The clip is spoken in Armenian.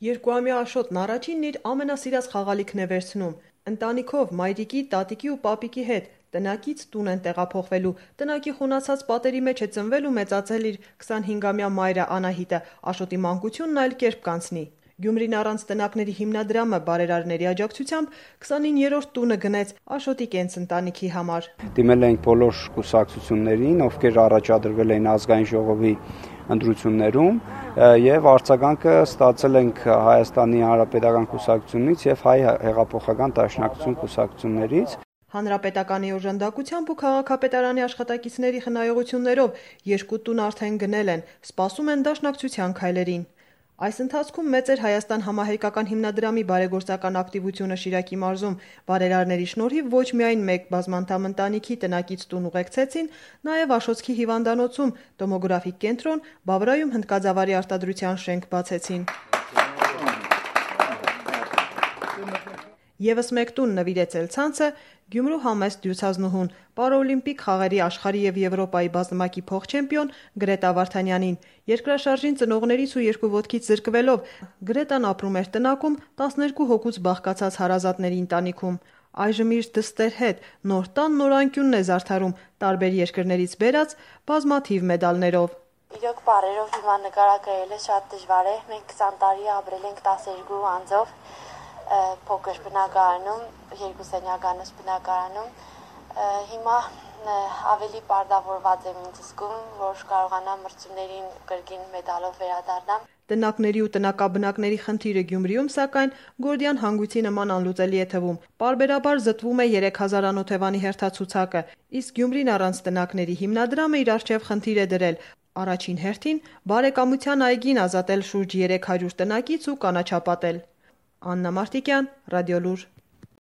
Երկուամյա Աշոտն առաջինն իր ամենասիրած խաղալիքն է վերցնում։ Ընտանիքով, մայրիկի, տատիկի ու պապիկի հետ տնակից տուն են տեղափոխվելու։ Տնակի խունացած պատերի մեջ է ծնվել ու մեծացել իր 25-ամյա մայրը Անահիտը։ Աշոտի մանկությունն այլ կերպ կանցնի։ Գյումրին առանց տնակների հիմնադրամը բարերարների աջակցությամբ 29-րդ տունը գնեց Աշոտի կենցընտանիքի համար։ Դիմել ենք բոլոր կուսակցություններին, ովքեր առաջադրվել էին ազգային ժողովի ընտրություններում, եւ արձագանքը ստացել ենք Հայաստանի Հանրապետական կուսակցությունից եւ Հայ հեղափոխական դաշնակցություն կուսակցություններից։ Հանրապետականի օժանդակությամբ ու քաղաքապետարանի աշխատակիցների խնայողություններով երկու տուն արդեն գնել են, սպասում են դաշնակցության քայլերին։ Այս ընթացքում մեծ էր Հայաստան համահայկական հիմնադրամի բարեգործական ակտիվությունը Շիրակի մարզում։ Բարերարների շնորհիվ ոչ միայն մեկ բազմանդամ ընտանիքի տնակից տուն ուղեկցեցին, նաև Աշոտսկի հիվանդանոցում տոմոգրաֆիկ կենտրոն, Բավրայում հնդկաձավարի արտադրության շենք բացեցին։ Եվս մեկ տուն նվիրեց ցանցը Գյումրու համեստ դյուցազնուհուն, պարաօլիմպիկ խաղերի աշխարհի եւ Եվրոպայի բազմակի փոխչեմպիոն Գրետա Վարդանյանին։ Երկրաշարժին ծնողներից ու երկու ոտքից զրկվելով Գրետան ապրում էր տնակում 12 հոգուց բաղկացած հարազատների ընտանիքում։ Այժմ իր դստեր հետ նոր տան նորանկյունն է զարդարում տարբեր երկրներից բերած բազմաթիվ մեդալներով։ Իրոք բարերով հիմա նկարագրելը շատ դժվար է։ Մենք 20 տարի ապրել ենք 12 անձով փոքր բնակարանում, 2 սենյականոց բնակարանում։ Հիմա ավելի պարտավորված եմ ինձ զգում, որ կարողանամ մրցումներին կրկին մեդալով վերադառնամ։ Տնակների ու տնակաբնակների խնդիրը Գյումրիում, սակայն, Գորդիան հանգույցի նման անլուծելի է թվում։ Պարբերաբար զտվում է 3000 անօթևանի հերթացուցակը, իսկ Գյումրին առանց տնակների հիմնադրամը իր առջև խնդիր է դրել։ Առաջին հերթին բարեկամության այգին ազատել շուրջ 300 տնակից ու կանաչապատել։ Աննա Մարտիկյան, Ռադիոլուր։